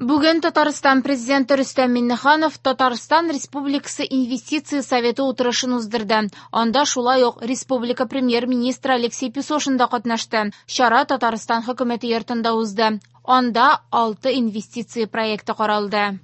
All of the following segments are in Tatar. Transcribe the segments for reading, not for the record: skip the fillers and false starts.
Бүген Татарстан Президенты Рөстәм Миңнеханов Татарстан Республикасы Инвестиция советы утырышын уздырды. Анда шулай ук республика Премьер-министры Алексей Песошин да катнашты. Чара Татарстан Хөкүмәте йортында узды. Анда 6 инвестиция проекты каралды.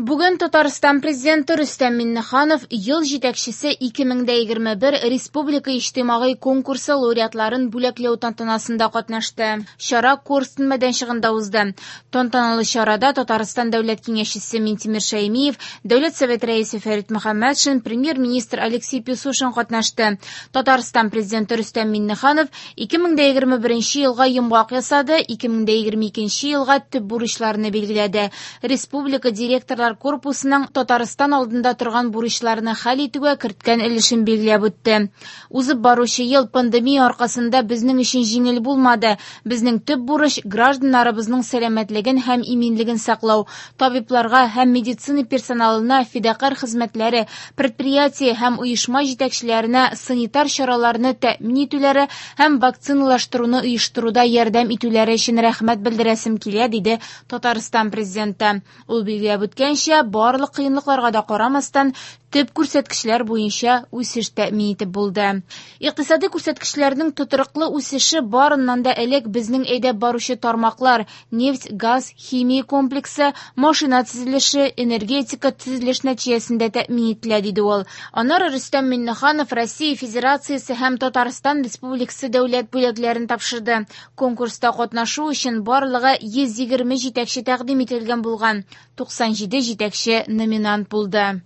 Бүген Татарстан Президенты Рөстәм Миңнеханов Ел җитәкчесе 2021 республика иҗтимагый конкурсы лауреатларын бүләкләү тантанасында катнашты. Чара Корстон мәйданчыгында узды. Тантаналы чарада Татарстан Дәүләт Киңәшчесе Минтимер Шәймиев, Дәүләт Совет Рәисе Фәрит Мөхәммәтшин, Премьер-министр Алексей Песошин катнашты. Татарстан Президенты Рөстәм Миңнеханов 2021 елга йомгак ясады, 2022 елга төп бурычларны билгеләде. Республика директорлар корпусының Татарстан алдында торган бурычларны хәл итүгә керткән өлешен билгеләп үтте. Узып баручы ел пандемия аркасында безнең өчен җиңел булмады. Безнең төп бурыч гражданнарыбызның сәламәтлеген һәм иминлеген саклау, табибларга һәм медицина персоналына фидакарь хезмәтләре, предприятие һәм оешма җитәкчеләренә санитар чараларны тәэмин итүләре һәм вакциналаштыруны оештыруда ярдәм итүләре өчен рәхмәт белдерәсем килә, диде Татарстан Президенты. Ул билгеләп үткәнчә, барлык кыенлыкларга да карамастан, төп күрсәткечләр буенча үсеш тәэмин итеп булды. Икътисади күрсәткечләрнең тотрыклы үсеше барыннан да элек безнең әйдәп баручы тармаклар нефть, газ, химия комплексы, машина төзелеше, энергетика төзелеш нәтиҗәсендә тәэмин ителә, диде ул. Аннары Рөстәм Миңнеханов Россия Федерациясе һәм Татарстан Республикасы дәүләт бүләкләрен тапшырды. Конкурста катнашу өчен барлыгы 120 җитәкче тәкъдим ителгән булган. 97 җитәкче номинант булды.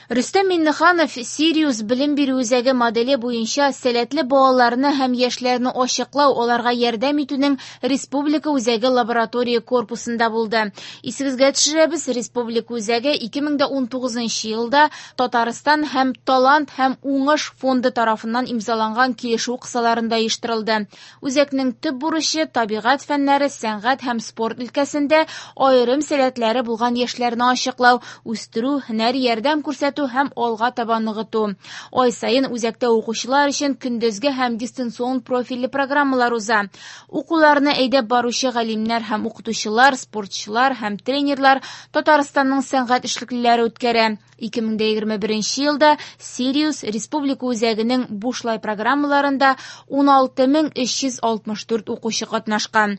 Рөстәм Миңнеханов Сириус белем бирү үзәге моделе буенча сәләтле балаларны һәм яшьләрне ачыклау, аларга ярдәм итүнең республика үзәге лаборатория корпусында булды. Исегезгә төшерәбез, республика үзәге 2019 елда Татарстан һәм Талант һәм уңыш фонды тарафыннан имзаланган килешү кысаларында оештырылды. Үзәкнең төп бурычы табигать фәннәре, сәнгать һәм спорт өлкәсендә аерым сәләтләре булган яшьләрне ачыклау, үстерү, һөнәри ярдәм күрсәтү һәм алга таба ныгыту. Ай саен үзәктә укучылар өчен көндезге һәм дистанцион профильле программалар уза. Укуларны әйдәп баручы галимнәр һәм укытучылар, спортчылар һәм тренерлар Татарстанның сәнгать эшлеклеләре үткәрә. 2021 елда Сириус республика үзәгенең бушлай программаларында 16364 укучы катнашкан.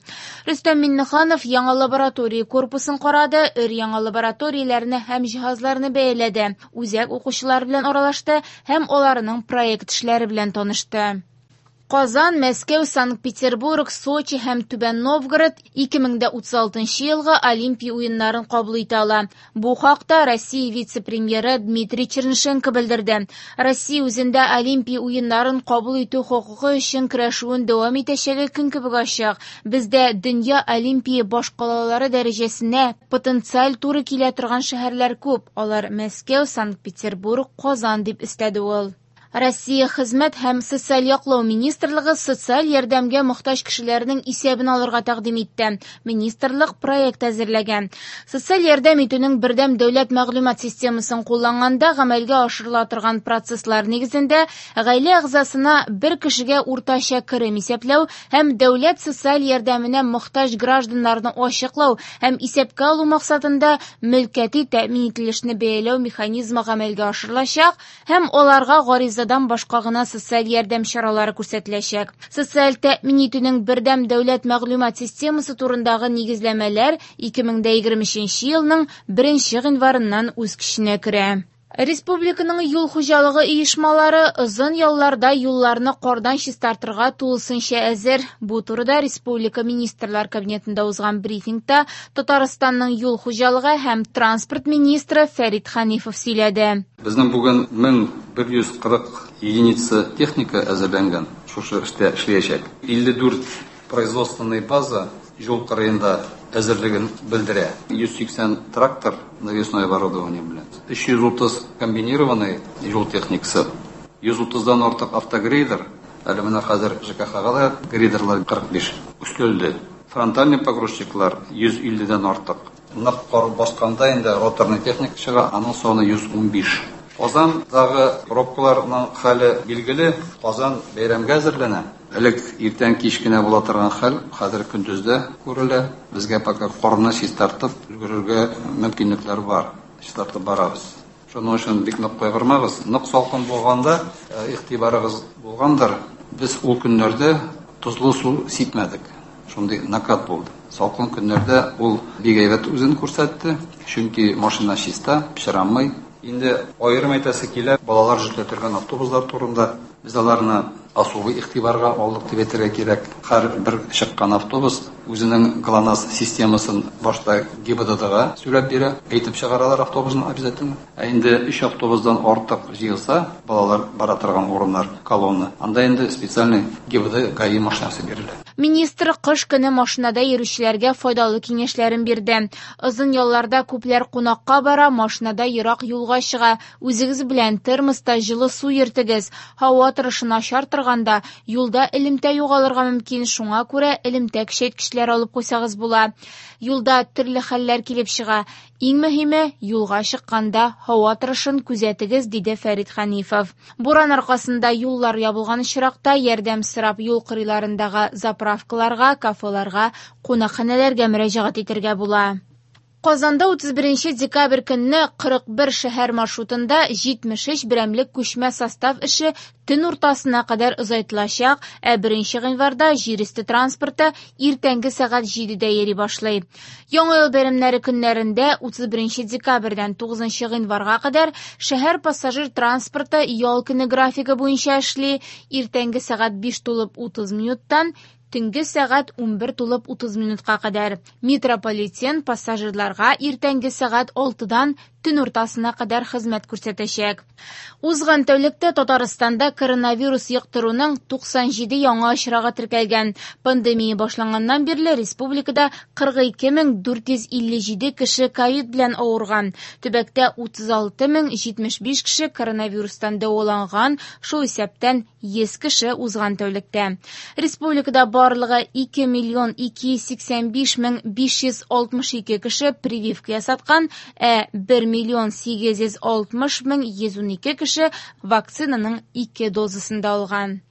Рөстәм Миңнеханов яңа лаборатория корпусын карады, өр-яңа лабораторияләрне һәм җиһазларны бәяләде, үзәк укучылар белән аралашты һәм аларның проект эшләре белән танышты. Казан, Мәскәү, Санкт-Петербург, Сочи һәм Түбән Новгород 2036 елгы Олимпия уеннарын кабул итә ала. Бу хакта Россия вице-премьеры Дмитрий Чернышенко белдерде. Россия үзендә Олимпия уеннарын кабул итү хокукы өчен көрәшүен дәвам итәчәге көн кебек ачык. Бездә дөнья Олимпия башкалалары дәрәҗәсенә потенциаль туры килә торган шәһәрләр күп. Алар Мәскәү, Санкт-Петербург, Казан дип өстәде ул. Россия Хезмәт һәм социаль яклау министрлыгы социаль ярдәмгә мохтаҗ кешеләрнең исәбен алырга тәкъдим итте. Министрлык проект әзерләгән. Социаль ярдәм итүнең бердәм дәүләт мәгълүмат системасын кулланганда гамәлгә ашырыла торган процесслар нигезендә гаилә әгъзасына бер кешегә уртача керем исәпләү һәм дәүләт социаль ярдәменә мохтаҗ гражданнарны ачыклау һәм исәпкә алу максатында мөлкәти тәэмин ителешне бәяләү механизмы гамәлгә ашырылачак һәм аларга гаризадан башка гына социаль ярдәм чаралары күрсәтеләчәк. Социаль тәэмин итүнең бердәм дәүләт мәгълүмат системасы турындагы нигезләмәләр 2023 елның 1 гыйнварыннан үз көченә керә. Республиканың юл хуҗалыгы оешмалары озын ялларда юлларны кардан чистартырга тулысынча әзер. Бу турыда Республика Министрлар Кабинетында узган брифингта Татарстанның юл хуҗалыгы һәм транспорт министры Фәрит Ханифов сөйләде. Безнең бүген 1140 единица техника әзерләнгән, шушы эштә эшләячәк. 54 производственный база юл кырыенда әзерлеген белдерә. 180 трактор навесное оборудование белән, 330 комбинированный юл техникасы, 130-дан артык автогрейдер, әле менә хәзер ЖКХ-га да грейдерлар 45 өстәлде. Фронтальный погрузчиклар 150-дән артык. Нык кар басканда инде роторный техника чыга, аның саны 115. Казандагы пробкаларның хәле билгеле, Казан бәйрәмгә әзерләнә. Элек иртән кич кенә була торган хәл, хәзер көндез дә күрелә. Безгә пока карны чистартып өлгерергә мөмкинлекләр бар. Чистартып барабыз. Шуның өчен бик нык кайгырмагыз. Нык салкын булганда, игътибарыгыз булгандыр, без ул көннәрдә тозлы су сипмәдек. Шундый накат булды. Салкын көннәрдә ул бик әйбәт үзен күрсәтте, чөнки машина чиста, пычранмый. Инде аерым әйтәсе килә, балалар йөртә торган автобуслар турында. Без аларны особый игътибарга алдык дип әйтергә кирәк. Һәр бер чыккан автобус үзенең ГЛОНАСС системасын башта ГИБДДга сөйләп бирә, әйтеп чыгаралар автобусны обязательно. Ә инде 3 автобусдан артык җыелса, балалар бара торган урыннар, колонна, анда инде специальный ГИБДД ГАИ машинасы бирелә. Министр кыш көне машинада йөрүчеләргә файдалы киңәшләрен бирде. Озын ялларда күпләр кунакка бара, машинада ерак юлга чыга. Үзегез белән термоста җылы су йөртегез. Һава торышы начар торганда юлда элемтә югалырга мөмкин, шуңа күрә элемтә көчәйткечләр алып куйсагыз була. Юлда төрле хәлләр килеп чыга. Иң мөһиме, юлга чыкканда һава торышын күзәтегез, диде Фәрит Хәнифов. Буран аркасында юллар ябылган очракта ярдәм сорап юл кырыйларындагы заправкаларга, кафеларга, кунакханәләргә мөрәҗәгать итәргә була. Казанда 31 декабрь көнне 41 шәһәр маршрутында 73 берәмлек күчмә состав эше төн уртасына кадәр озайтылачак, ә 1 гыйнварда җир өсте транспорты иртәнге сәгать 7-дә йөри башлый. Яңа ел бәйрәмнәре көннәрендә 31 декабрьдән 9 гыйнварга кадәр шәһәр пассажир транспорты ял көне графигы буенча эшли, иртәнге сәгать 5:30 минуттан төнге сәгать 11:30 минутка кадәр. Метрополитен пассажирларга иртәнге сәгать 6-дан төн уртасына кадәр хезмәт күрсәтәчәк. Узган тәүлектә Татарстанда коронавирус йоктыруның 97 яңа очрагы теркәлгән. Пандемия башланганнан бирле республикада 42457 кеше ковид белән авырган. Төбәктә 36075 кеше коронавирустан дәваланган, шул исәптән 100 кеше узган тәүлектә. Республикада барлыгы 2 285 562 кеше прививка ясаткан, ә 1 860 112 кеше вакцинаның 2 дозасын да алган.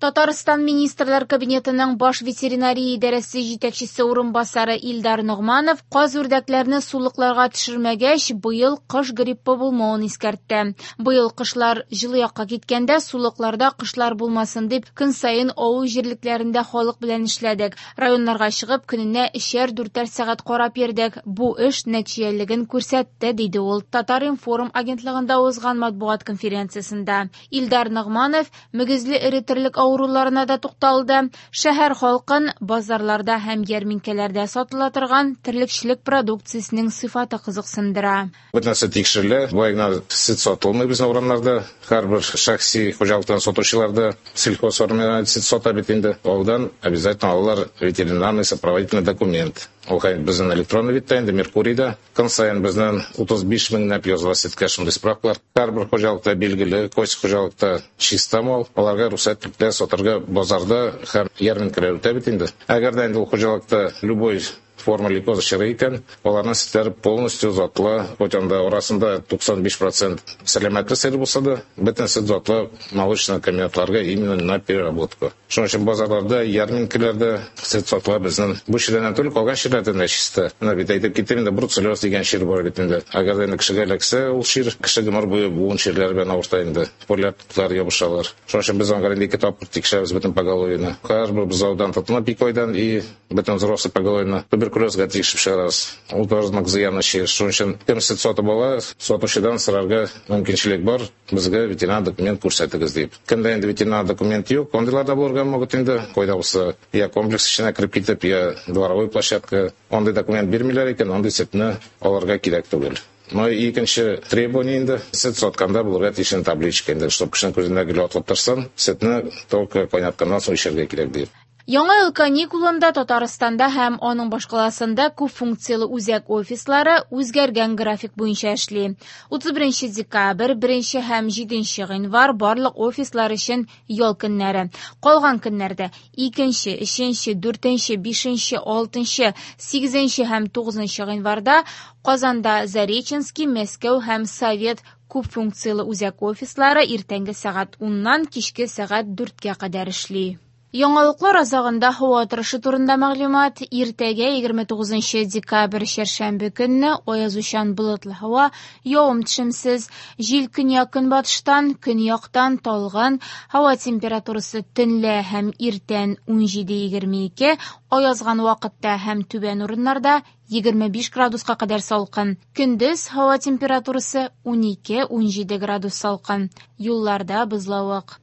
Татарстан Министрлар Кабинетының баш ветеринария идарәсе җитәкчесе урынбасары Илдар Ногманов каз үрдәкләрне сулыкларга төшермәгәч, быел кыш гриппы булмавын искәртте. Быел кышлар җылы якка киткәндә сулыкларда кышлар булмасын дип көн саен авыл җирлекләрендә халык белән эшләдек. Районнарга чыгып көненә 3-4 сәгать карап йөрдек. Бу эш нәтиҗәлелеген күрсәтте, диде ул Татар-информ агентлыгында узган матбугат конференциясендә. Илдар Ногманов мөгезле эре терлек авыруларына да тукталды. Шәһәр халкын базарларда һәм ярминкәләрдә сатыла торган терлекчелек продукциясенең сыйфаты кызыксындыра. Бөтен нәрсә тикшерелә. Болай гына сөт сатылмый безнең урамнарда. Һәрбер шәхси хуҗалыктан сатучылар да сельхозфермердан сөт сата бит инде. Алдан обязательно алалар ветеринарный сопроводительный документ. Ул безнең электронный видта инде, Меркурийда. Көн саен безнең 35 меңләп языла сөткә шундый справкалар. Һәрбер хуҗалыкта билгеле, кайсы хуҗалыкта чиста мал, аларга рөхсәт ителә сатырга базарда һәм ярминкәләр үтә бит инде. Әгәр дә инде ул хуҗалыкта любой форма лейкоза чыгы икән, аларның сөтләре полностью затлы, хоть анда арасында 95% сәламәтле сыер булса да, бөтен сөт затлы молочный комбинатларга именно на переработку. Шуның өчен базарларда, ярминкәләрдә сөт сатыла безнең. Бу чирләрдән түгел, калган чирләрдән дә чиста. Менә бит әйтеп киттем инде, бруцеллез дигән чир бар бит инде. Әгәр дә инде кешегә эләксә, ул чир кеше гомер буе буын чирләре белән авырта инде. Полиартрит ябышалар. Шуның өчен без аңа инде ике тапкыр тикшерәбез бөтен поголовьены. Һәрбер бозаудан тотынып ике айдан и бөтен взрослый поголовьены туберкулезга тикшереп чыгарабыз. Ул тоже нык зыянлы чир. Шуның өчен кем сөт сатып ала, сатучыдан сорарга мөмкинчелек бар, безгә ветеринар документ күрсәтегез дип. Кемдә инде ветеринар документ юк, андыйлар да булырга могут инде. Кайда булса, я комплекс эченә кереп китеп, я дворовой площадка, андый документ бирмиләр икән, андый сөтне алырга кирәк түгел. Но икенче требование инде, сөт сатканда булырга тиеш табличка инде, чтоб кешенең күзенә гел атылып торсын, сөтне только кайнатканнан соң эчәргә кирәк дип. Яңа ел каникулында Татарстанда һәм аның башкаласында күп функцияле үзәк офислары үзгәргән график буенча эшли. 31 декабрь, 1 һәм 7 гыйнвар барлык офислар өчен ял көннәре. Калган көннәрдә 2, 3, 4, 5, 6, 8 һәм 9 гыйнварда Казанда Зареченский, Мәскәү һәм Совет күп функцияле үзәк офислары иртәнге сәгать 10-нан кичке сәгать 4-кә кадәр эшли. Яңалыклар азагында һава торышы турында мәгълүмат. Иртәгә 29 декабрь чәршәмбе көнне аязучан болытлы һава, явым-төшемсез. Җил көньяк-көнбатыштан, көньяктан талгын. Һава температурасы төнлә һәм иртән 17-22, аязган вакытта һәм түбән урыннарда 25 градуска кадәр салкын. Көндез һава температурасы 12-17 градус салкын. Юлларда бозлавык.